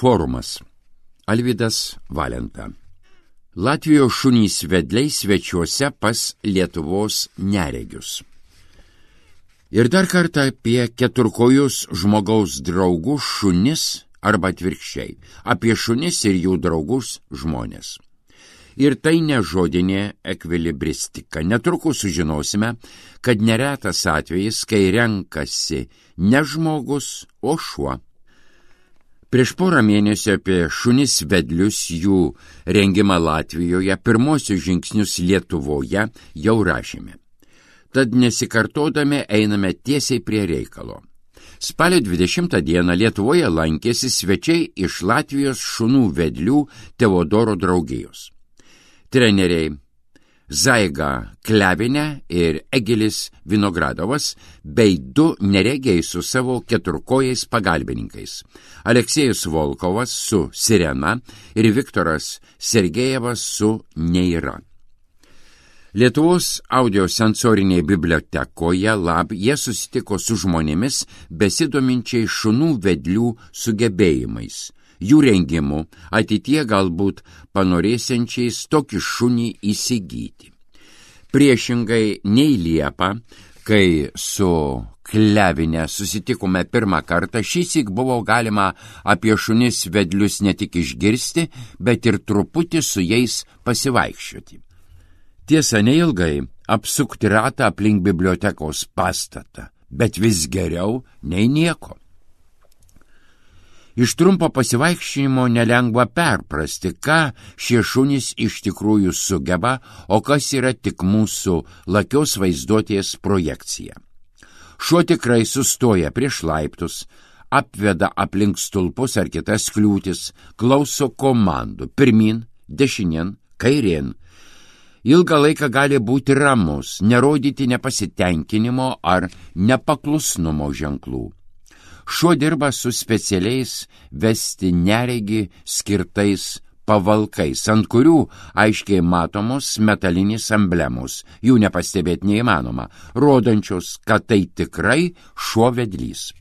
Forumas. Alvydas Valenta. Latvijos šunys vedliai svečiuose pas Lietuvos neregius. Ir dar kartą apie keturkojus žmogaus draugus šunis arba atvirkščiai, apie šunis ir jų draugus žmonės. Ir tai ne žodinė ekvilibristika. Netrukus sužinosime, kad neretas atvejis, kai renkasi ne žmogus, o šuo. Prieš porą mėnesių apie šunis vedlius, jų rengimą Latvijoje, pirmosius žingsnius Lietuvoje jau rašėme. Tad nesikartodami einame tiesiai prie reikalo. Spalio 20 dieną Lietuvoje lankėsi svečiai iš Latvijos šunų vedlių Teodoro draugijos. Treneriai Zaiga Klevinė ir Egilis Vinogradovas bei du neregiai su savo keturkojais pagalbininkais – Aleksejus Volkovas su Sirena ir Viktoras Sergejevas su Neira. Lietuvos audiosensorinėje bibliotekoje LAB jie susitiko su žmonėmis besidominčiai šunų vedlių sugebėjimais, jų rengimu, ateitie galbūt panorėsiančiais tokį šunį įsigyti. Priešingai nei Liepą, kai su Klevinė susitikome pirmą kartą, šįsyk buvo galima apie šunis vedlius ne tik išgirsti, bet ir truputį su jais pasivaikščioti. Tiesa, neilgai apsukti ratą aplink bibliotekos pastatą, bet vis geriau nei nieko. Iš trumpo pasivaikščiojimo nelengva perprasti, ką šie šunys iš tikrųjų sugeba, o kas yra tik mūsų lakios vaizduotės projekcija. Šuo tikrai sustoja prieš laiptus, apveda aplink stulpus ar kitas kliūtis, klauso komandų pirmin, dešinien, kairien. Ilgą laiką gali būti ramus, nerodyti nepasitenkinimo ar nepaklusnumo ženklų. Šuo dirba su specialiais vesti neregį skirtais pavalkais, ant kurių aiškiai matomos metalinės emblemos, jų nepastebėti neįmanoma, rodančios, kad tai tikrai šuo vedlys.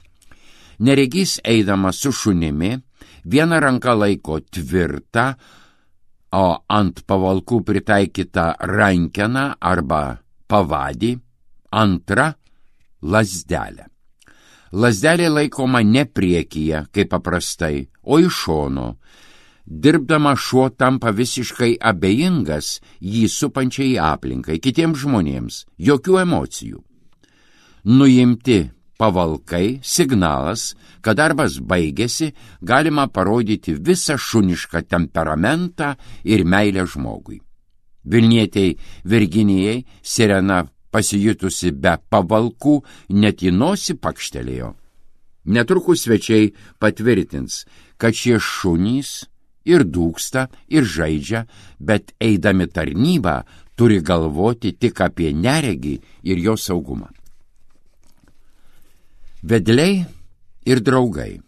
Neregys eidamas su šunimi, viena ranka laiko tvirtą, o ant pavalkų pritaikytą rankeną arba pavadį, antra lazdelę. Lazdelė laikoma ne priekyje, kaip paprastai, o iš šono. Dirbdama šuo tampa visiškai abejingas jį supančiai aplinkai, kitiems žmonėms, jokių emocijų. Nuimti pavalkai, signalas, kad darbas baigėsi, galima parodyti visą šunišką temperamentą ir meilę žmogui. Vilnietei Virginijai Sirena pasijutusi be pavalkų, net į nosį pakštelėjo. Netrukus svečiai patvirtins, kad šie šunys ir dūksta, ir žaidžia, bet eidami tarnybą turi galvoti tik apie neregį ir jo saugumą. Vedliai ir draugai.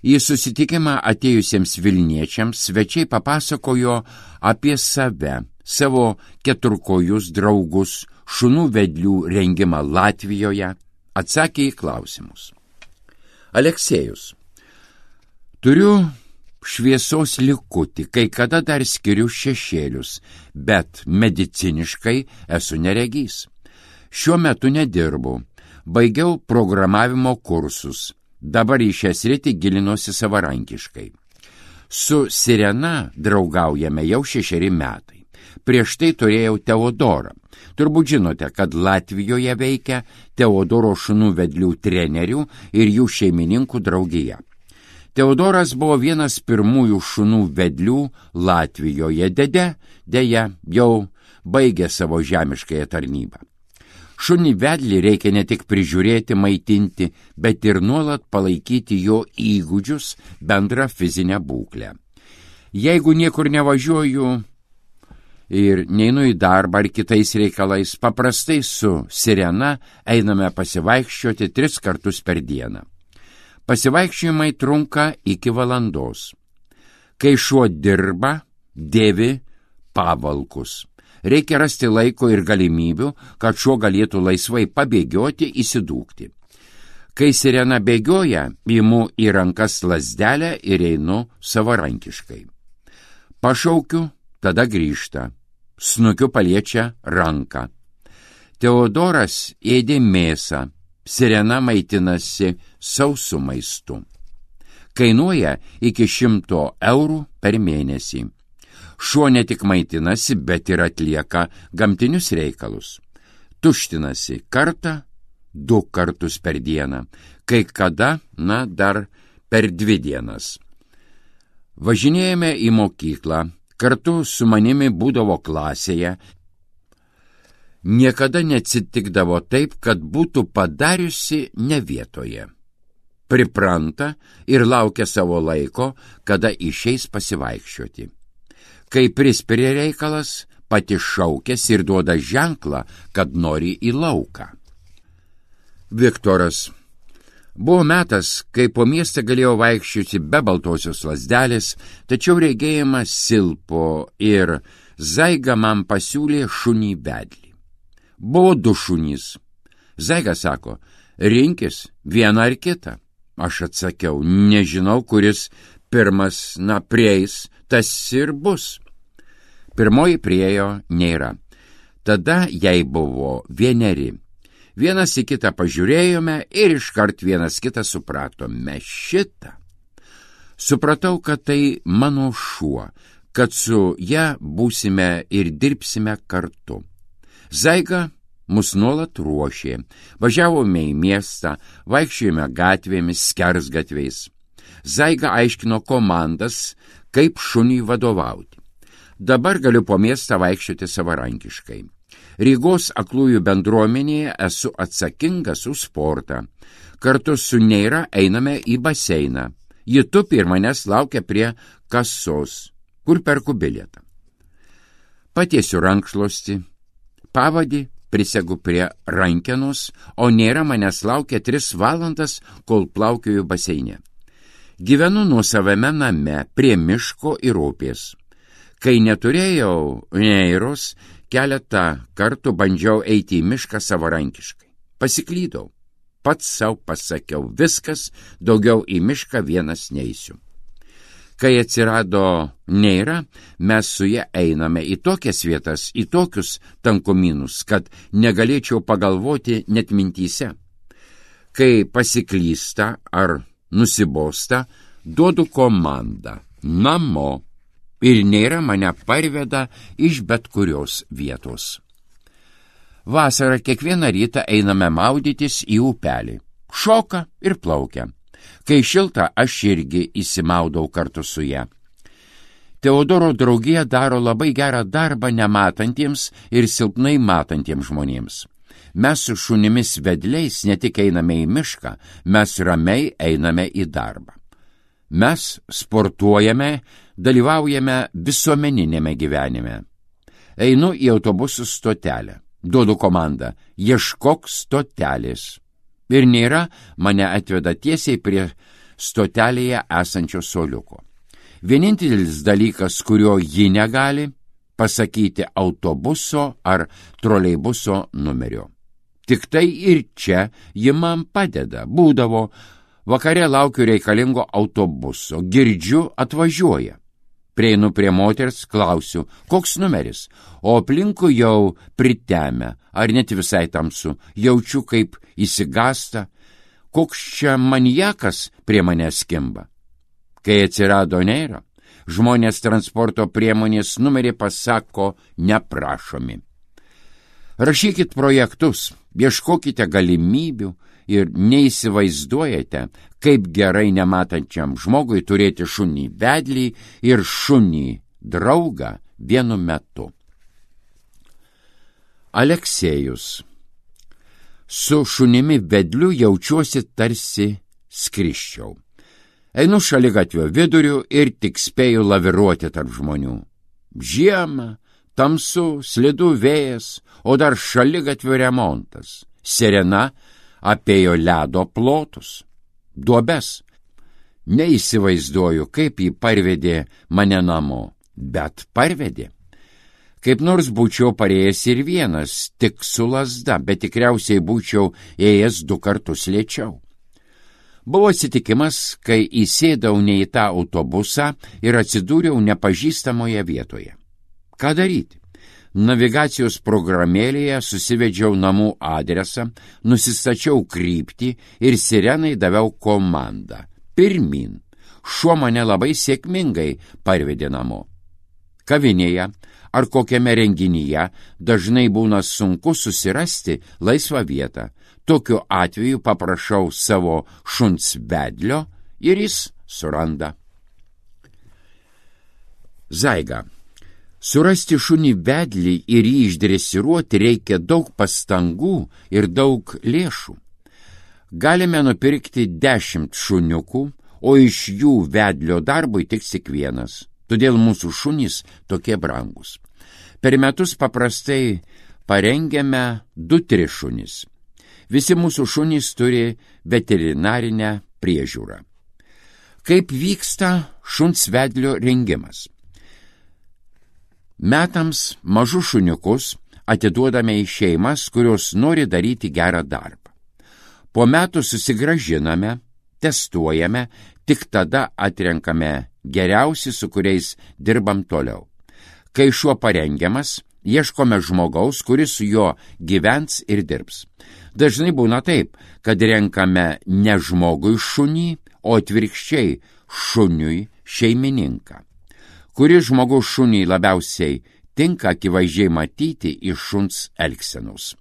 Į susitikimą atėjusiems vilniečiams svečiai papasakojo apie save, savo keturkojus draugus, šunų vedlių rengimą Latvijoje, atsakė į klausimus. Aleksejus. Turiu šviesos likutį, kai kada dar skiriu šešėlius, bet mediciniškai esu neregys. Šiuo metu nedirbu, baigiau programavimo kursus, dabar į šią sritį gilinuosi savarankiškai. Su Sirena draugaujame jau 6 metai. Prieš tai turėjau Teodorą. Turbūt žinote, kad Latvijoje veikia Teodoro šunų vedlių trenerių ir jų šeimininkų draugija. Teodoras buvo vienas pirmųjų šunų vedlių Latvijoje, deja, jau baigė savo žemiškąją tarnybą. Šunį vedlį reikia ne tik prižiūrėti, maitinti, bet ir nuolat palaikyti jo įgūdžius, bendrą fizinę būklę. Jeigu niekur nevažiuoju ir neinu į darbą ar kitais reikalais, paprastai su Sirena einame pasivaikščioti 3 kartus per dieną. Pasivaikščiojimai trunka iki valandos. Kai šuo dirba, dėvi pavalkus. Reikia rasti laiko ir galimybių, kad šuo galėtų laisvai pabėgioti, įsidūkti. Kai sirena bėgioja, imu į rankas lazdelę ir einu savarankiškai. Pašaukiu, tada grįžta. Snukiu paliečia ranką. Teodoras ėdė mėsą, sirena maitinasi sausų maistu. Kainuoja iki 100 eurų per mėnesį. Šuo ne tik maitinasi, bet ir atlieka gamtinius reikalus. Tuštinasi kartą, 2 kartus per dieną, kai kada, dar per 2 dienas. Važinėjame į mokyklą, kartu su manimi būdavo klasėje. Niekada neatsitikdavo taip, kad būtų padariusi ne vietoje. Pripranta ir laukia savo laiko, kada išeis pasivaikščioti. Kai prispiria reikalas, pati šaukės ir duoda ženklą, kad nori į lauką. Viktoras. Buvo metas, kai po miestą galėjau vaikščioti be baltosios lazdelės, tačiau regėjimas silpo ir Zaiga man pasiūlė šunį vedlį. Buvo 2 šunys. Zaiga sako, rinkis vieną ar kitą. Aš atsakiau, nežinau, kuris pirmas, prieis, tas ir bus. Pirmoji priėjo nėra. Tada jai buvo 1. Vienas į kitą pažiūrėjome ir iškart vienas kitą supratome šitą. Supratau, kad tai mano šuo, kad su ja būsime ir dirbsime kartu. Zaiga mus nuolat ruošė. Važiavome į miestą, vaikščiojome gatvėmis, skersgatviais. Zaiga aiškino komandas, kaip šuniui vadovauti. Dabar galiu po miestą vaikščioti savarankiškai. Rygos aklųjų bendruomenėje esu atsakingas už sportą. Kartu su Neira einame į baseiną. Ji tupi ir manęs laukia prie kasos, kur perku bilietą. Patiesiu rankšluostį, pavadį prisegu prie rankenos, o Neira manęs laukia 3 valandas, kol plaukioju baseine. Gyvenu nuosavame name prie miško ir upės. Kai neturėjau Neiros, keletą kartų bandžiau eiti į mišką savarankiškai. Pasiklydau. Pats savo pasakiau, viskas, daugiau į mišką vienas neisiu. Kai atsirado Neira, mes su ja einame į tokias vietas, į tokius tankumynus, kad negalėčiau pagalvoti net mintyse. Kai pasiklysta ar nusibosta, duodu komandą namo. Ir Neira mane parveda iš bet kurios vietos. Vasarą kiekvieną rytą einame maudytis į upelį. Šoka ir plaukia. Kai šilta, aš irgi įsimaudau kartu su ja. Teodoro draugija daro labai gerą darbą nematantiems ir silpnai matantiems žmonėms. Mes su šunimis vedliais ne tik einame į mišką, mes ramiai einame į darbą. Mes sportuojame, dalyvaujame visuomeninėme gyvenime. Einu į autobusų stotelę. Duodu komandą, ieškok stotelės. Ir Neira mane atveda tiesiai prie stotelėje esančio suoliuko. Vienintelis dalykas, kurio ji negali, pasakyti autobuso ar troleibuso numerio. Tik tai ir čia ji man padeda. Būdavo, vakare laukiu reikalingo autobuso, girdžiu, atvažiuoja. Prieinu prie moters, klausiu, koks numeris, o aplinkui jau pritemę, ar net visai tamsu, jaučiu, kaip įsigasta, koks čia maniakas prie manęs skimba. Kai atsirado Neira, žmonės transporto priemonės numerį pasako neprašomi. Rašykit projektus, ieškokite galimybių ir neįsivaizduojate, kaip gerai nematančiam žmogui turėti šunį vedlį ir šunį draugą vienu metu. Aleksejus. Su šunimi vedliu jaučiuosi tarsi skrisčiau. Einu šaligatvio viduriu ir tik spėju laviruoti tarp žmonių. Žiema, tamsu, slidu vėjas, o dar šaligatvio remontas. Sirena apėjo ledo plotus, duobes. Neįsivaizduoju, kaip jį parvedė mane namo, bet parvedė. Kaip nors būčiau parėjęs ir vienas, tik su lazda, bet tikriausiai būčiau ėjęs 2 kartus lėčiau. Buvo atsitikimas, kai įsėdau ne į tą autobusą ir atsidūriau nepažįstamoje vietoje. Ką daryti? Navigacijos programėlėje susivedžiau namų adresą, nusistačiau kryptį ir sirenai daviau komandą. Pirmyn. Šuo mane labai sėkmingai parvedė namo. Kavinėje ar kokiame renginyje dažnai būna sunku susirasti laisvą vietą. Tokiu atveju paprašau savo šuns vedlio ir jis suranda. Zaiga. Surasti šunį vedlį ir jį išdresiruoti reikia daug pastangų ir daug lėšų. Galime nupirkti 10 šuniukų, o iš jų vedlio darbui tiks tik vienas. Todėl mūsų šunys tokie brangus. Per metus paprastai parengiame 2-3 šunis. Visi mūsų šunys turi veterinarinę priežiūrą. Kaip vyksta šuns vedlio rengimas? Metams mažus šuniukus atiduodame į šeimas, kurios nori daryti gerą darbą. Po metų susigrąžiname, testuojame, tik tada atrenkame geriausi, su kuriais dirbam toliau. Kai šuo parengiamas, ieškome žmogaus, kuris su juo gyvens ir dirbs. Dažnai būna taip, kad renkame ne žmogui šunį, o atvirkščiai šuniui šeimininką. Kuris žmogus šuniai labiausiai tinka, akivaizdžiai matyti iš šuns elgsenos.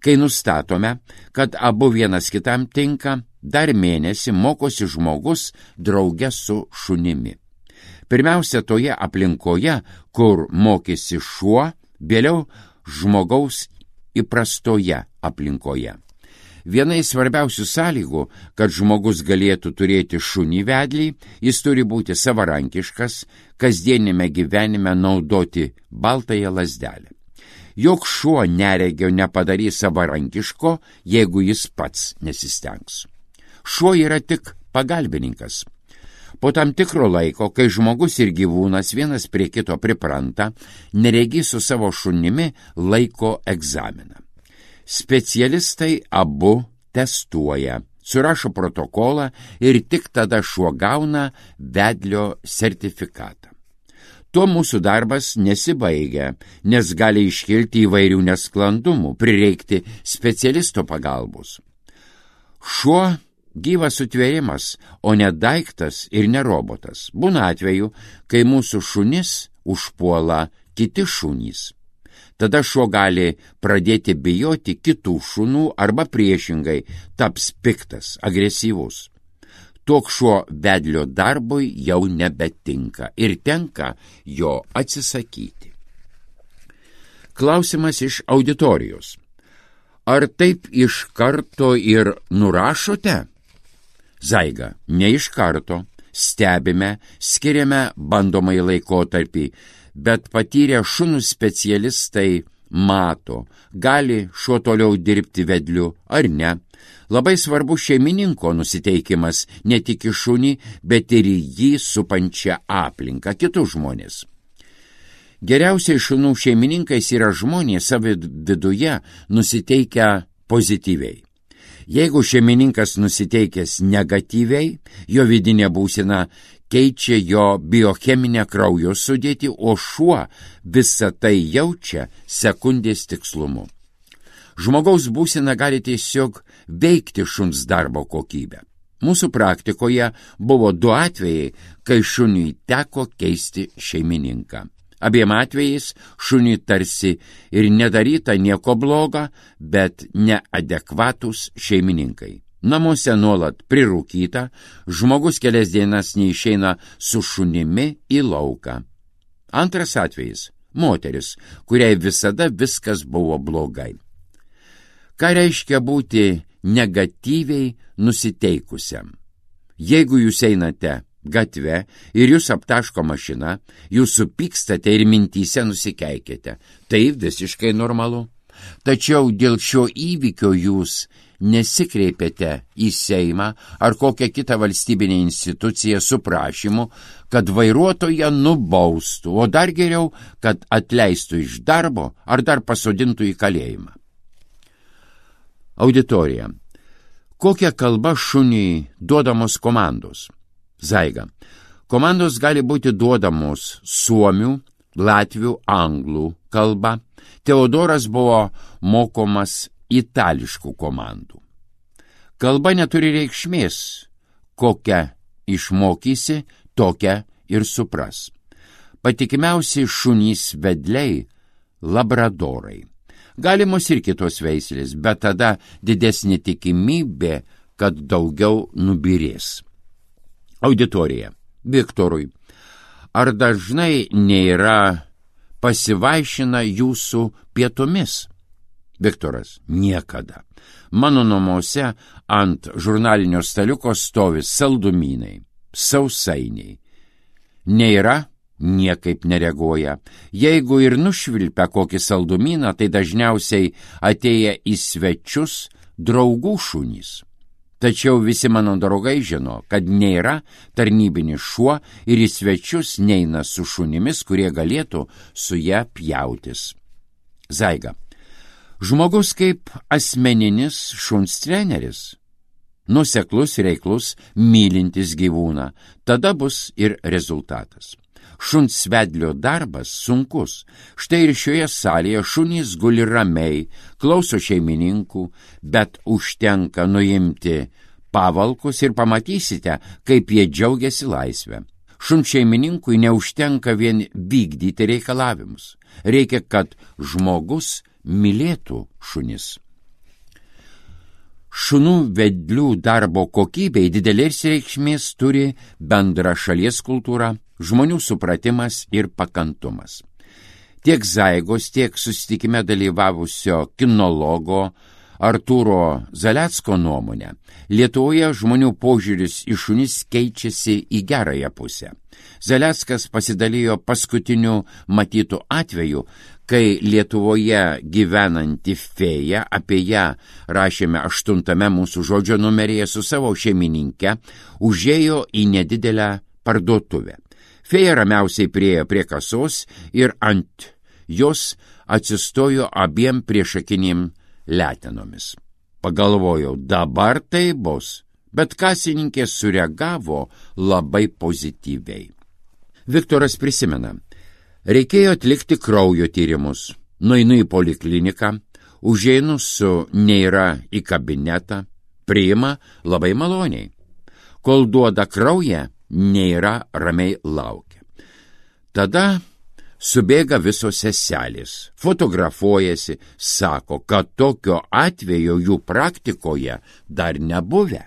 Kai nustatome, kad abu vienas kitam tinka, dar mėnesį mokosi žmogus drauge su šunimi. Pirmiausia, toje aplinkoje, kur mokėsi šuo, vėliau žmogaus įprastoje aplinkoje. Viena iš svarbiausių sąlygų, kad žmogus galėtų turėti šunį vedlį, jis turi būti savarankiškas, kasdienime gyvenime naudoti baltąją lazdelę. Jok šuo neregio nepadarys savarankiško, jeigu jis pats nesistengs. Šuo yra tik pagalbininkas. Po tam tikro laiko, kai žmogus ir gyvūnas vienas prie kito pripranta, neregys su savo šunimi laiko egzaminą. Specialistai abu testuoja, surašo protokolą ir tik tada šuo gauna vedlio sertifikatą. Tuo mūsų darbas nesibaigia, nes gali iškilti įvairių nesklandumų, prireikti specialisto pagalbos. Šuo gyvas sutvėrimas, o ne daiktas ir ne robotas. Būna atveju, kai mūsų šunis užpuola kiti šunys. Tada šuo gali pradėti bijoti kitų šunų arba priešingai taps piktas, agresyvus. Toks šuo vedlio darbui jau nebetinka ir tenka jo atsisakyti. Klausimas iš auditorijos. Ar taip iš karto ir nurašote? Zaiga, ne iš karto. Stebime, skiriame bandomąjį laikotarpį, bet patyrę šunų specialistai mato, gali šuo toliau dirbti vedliu ar ne. Labai svarbu šeimininko nusiteikimas ne tik į šunį, bet ir į jį supančią aplinką, kitus žmonės. Geriausiai šunų šeimininkais yra žmonės savo viduje nusiteikę pozityviai. Jeigu šeimininkas nusiteikęs negatyviai, jo vidinė būsena keičia jo biocheminę kraujo sudėtį, o šuo visą tai jaučia sekundės tikslumu. Žmogaus būsena gali tiesiog veikti šuns darbo kokybę. Mūsų praktikoje buvo 2 atvejai, kai šuniui teko keisti šeimininką. Abiem atvejais šuniui tarsi ir nedaryta nieko bloga, bet neadekvatus šeimininkai. Namuose nuolat prirūkyta, žmogus kelias dienas neišeina su šunimi į lauką. Antras atvejis – moteris, kuriai visada viskas buvo blogai. Ką reiškia būti negatyviai nusiteikusiam? Jeigu jūs einate gatve ir jūs aptaško mašina, jūs supykstate ir mintyse nusikeikėte. Tai visiškai normalu. Tačiau dėl šio įvykio jūs nesikreipėte į Seimą ar kokią kitą valstybinę instituciją su prašymu, kad vairuotoją nubaustų, o dar geriau, kad atleistų iš darbo ar dar pasodintų į kalėjimą. Auditorija. Kokia kalba šuniui duodamos komandos? Zaiga. Komandos gali būti duodamos suomių, latvių, anglų kalba. Teodoras buvo mokomas itališkų komandų. Kalba neturi reikšmės, kokią išmokysi, tokią ir supras. Patikimiausi šunys vedliai – labradorai. Galimos ir kitos veislės, bet tada didesnė tikimybė, kad daugiau nubyrės. Auditorija. Viktorui. Ar dažnai nėra pasivaišina jūsų pietumis? Viktoras. Niekada. Mano namuose ant žurnalinio staliuko stovi saldumynai, sausainiai. Nėra, niekaip nereaguoja. Jeigu ir nušvilpia kokį saldumyną, tai dažniausiai atėję į svečius draugų šunys. Tačiau visi mano draugai žino, kad nėra tarnybinis šuo ir į svečius neina su šunimis, kurie galėtų su ją pjautis. Zaiga. Žmogus kaip asmeninis šuns treneris. Nuoseklus, reiklus, mylintis gyvūną. Tada bus ir rezultatas. Šuns vedlio darbas sunkus. Štai ir šioje salėje šunys guli ramiai, klauso šeimininkų, bet užtenka nuimti pavalkus ir pamatysite, kaip jie džiaugiasi laisvę. Šuns šeimininkui neužtenka vien vykdyti reikalavimus. Reikia, kad žmogus mylėtų šunis. Šunų vedlių darbo kokybei didelės reikšmės turi bendra šalies kultūra, žmonių supratimas ir pakantumas. Tiek Zaigos, tiek susitikime dalyvavusio kinologo Artūro Zalecko nuomonė, Lietuvoje žmonių požiūris į šunis keičiasi į gerąją pusę. Zaleckas pasidalijo paskutiniu matytų atveju, kai Lietuvoje gyvenanti fėja, apie ją rašėme 8 mūsų žodžio numeryje, su savo šeimininke užėjo į nedidelę parduotuvę. Fėja ramiausiai priėjo prie kasos ir ant jos atsistojo abiem priešakinėm letenomis. Pagalvojau, dabar tai bus, bet kasininkė sureagavo labai pozityviai. Viktoras prisimena, reikėjo atlikti kraujo tyrimus. Nueinu į polikliniką, užeinu su Neira į kabinetą, priima labai maloniai. Kol duoda kraują, Neira ramiai laukia. Tada subėga visos seselės, fotografuojasi, sako, kad tokio atvejo jų praktikoje dar nebuvę.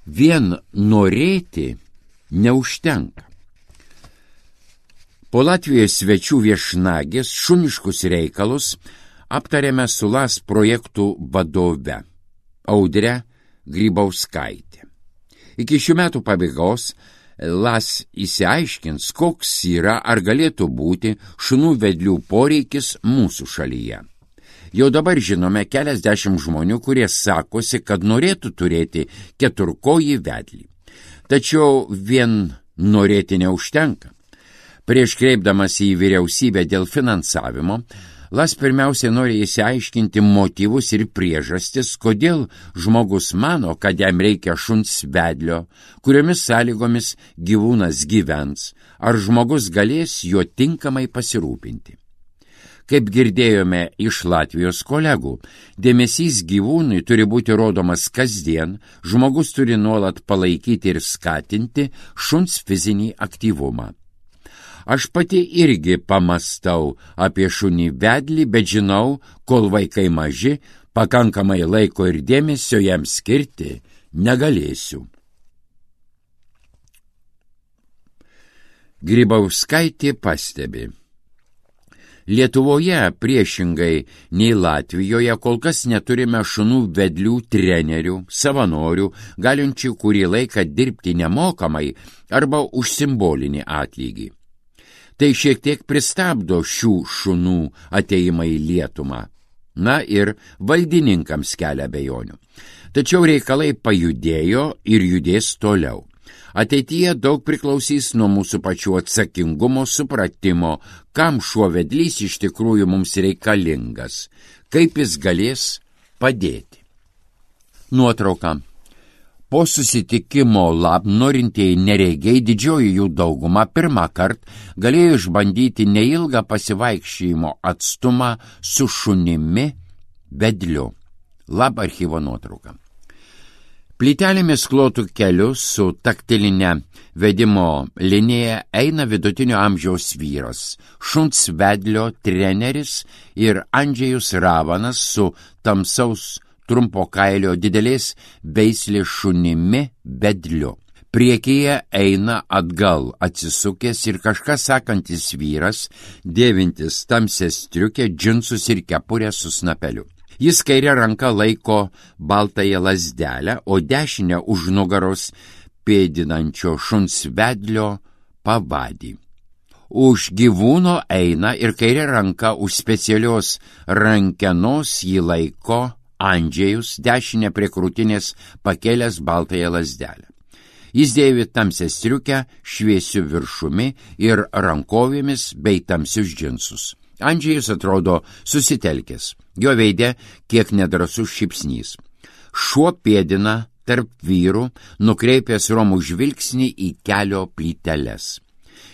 Vien norėti neužtenka. Po Latvijos svečių viešnagės šuniškus reikalus aptarėme su LAS projektų vadove Audre Grybauskaitė. Iki šių metų pabaigos LAS įsiaiškins, koks yra ar galėtų būti šunų vedlių poreikis mūsų šalyje. Jau dabar žinome keliasdešimt žmonių, kurie sakosi, kad norėtų turėti keturkojį vedlį. Tačiau vien norėti neužtenka. Prieš kreipdamas į vyriausybę dėl finansavimo, LAS pirmiausia nori įsiaiškinti motyvus ir priežastis, kodėl žmogus mano, kad jam reikia šuns vedlio, kuriomis sąlygomis gyvūnas gyvens, ar žmogus galės juo tinkamai pasirūpinti. Kaip girdėjome iš Latvijos kolegų, dėmesys gyvūnui turi būti rodomas kasdien, žmogus turi nuolat palaikyti ir skatinti šuns fizinį aktyvumą. Aš pati irgi pamastau apie šunį vedlį, bet žinau, kol vaikai maži, pakankamai laiko ir dėmesio jam skirti negalėsiu. Grybauskaitė pastebi. Lietuvoje, priešingai nei Latvijoje, kol kas neturime šunų vedlių trenerių, savanorių, galinčių kurį laiką dirbti nemokamai arba už simbolinį atlygį. Tai šiek tiek pristabdo šių šunų ateimą į Lietuvą. Na ir valdininkams kelia abejonių. Tačiau reikalai pajudėjo ir judės toliau. Ateityje daug priklausys nuo mūsų pačių atsakingumo supratimo, kam šuo vedlys iš tikrųjų mums reikalingas, kaip jis galės padėti. Nuotrauka. Po susitikimo norintieji neregiai, didžioji jų dauguma pirmą kartą galėjo išbandyti neilgą pasivaikščiojimo atstumą su šunimi vedliu. Archyvo nuotrauka. Plytelėmis klotų keliu su taktilinė vedimo linija eina vidutinio amžiaus vyras, šuns vedlio treneris ir Andžejus Ravanas su tamsaus trumpo kailio didelės veislės šunimi vedliu. Priekyje eina atgal atsisukęs ir kažką sakantis vyras, dėvintis tamsią striukę, džinsus ir kepurę su snapeliu. Jis kairę ranką laiko baltąją lazdelę, o dešinę už nugaros pėdinančio šuns vedlio pavadį. Už gyvūno eina ir kairę ranką už specialios rankenos jį laiko Andžejus, dešinę prie krūtinės pakėlęs baltąją lazdelę. Jis dėvi tamsią striukę, šviesiu viršumi ir rankovėmis bei tamsius džinsus. Andžejus atrodo susitelkęs, jo veide kiek nedrąsus šypsnys. Šuo pėdina tarp vyrų, nukreipęs romų žvilgsnį į kelio plyteles.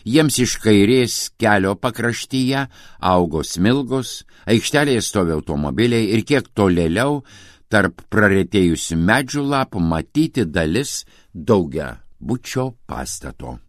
Jiems iš kairės kelio pakraštyje augo smilgos, aikštelėje stovi automobiliai ir kiek tolėliau tarp praretėjusių medžių lapų matyti dalis daugiabučio pastato.